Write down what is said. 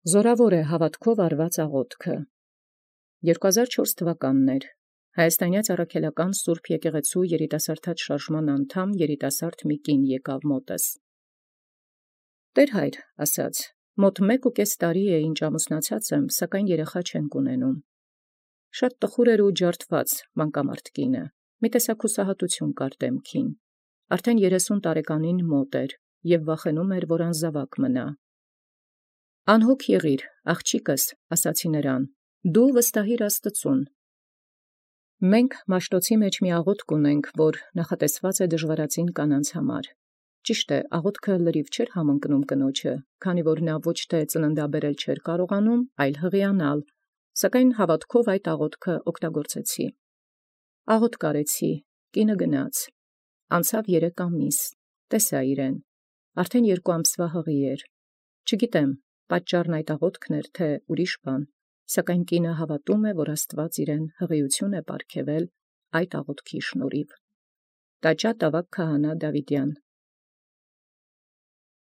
Զորավոր է հաւատովք արուած աղաւթքը։ 2004 թվականն Հայաստանեաց առաքելական սուրբ եկեղեցու երիտասարդաց շարժման անդամ երիտասարդ մի կին եկեալ մոտս. «Տէր Հայր, ասաց, մոտ 1.5 տարի ինչ ամուսնացած եմ, սակայն երեխա չենք ունենում։ Շատ տխուր էր ու ջարդված մանկամարդ կինը, մի տեսակ հուսահատութիւն կար դեմքին, արդեն 30 տարեկանին մոտ էր, եւ վախենում էր, որ անզաւակ մնա։ «Անհոգ եղիր, աղջիկս, ասացի նրան, դու վստահիր Աստուծուն։ Մենք Մաշտոցի մեջ մի աղոթք ունենք, որ նախատեսված է դժվարածին կանանց համար։ Ճիշտ է, աղոթքը լրիվ չէր համընկնում կնոջը, քանի որ նա ոչ թե ծննդաբերել չէր կարողանում, այլ հղիանալ, սակայն հաւատովք այդ աղոթքը օգտագործեցի։ Աղոթք արեցի, կինը գնաց, անցավ 3 ամիս, տեսա իրեն, արդեն 2 ամսվա հղի էր։ Չգիտեմ, պատճառն այդ աղոթքն էր, թե ուրիշ բան, սակայն կինը հաւատում է, որ Աստուած իրեն հղիութիւն է պարգևել այդ աղոթքի շնորհիւ։ Տաճա Տավակ Քահանա Դաւիդյան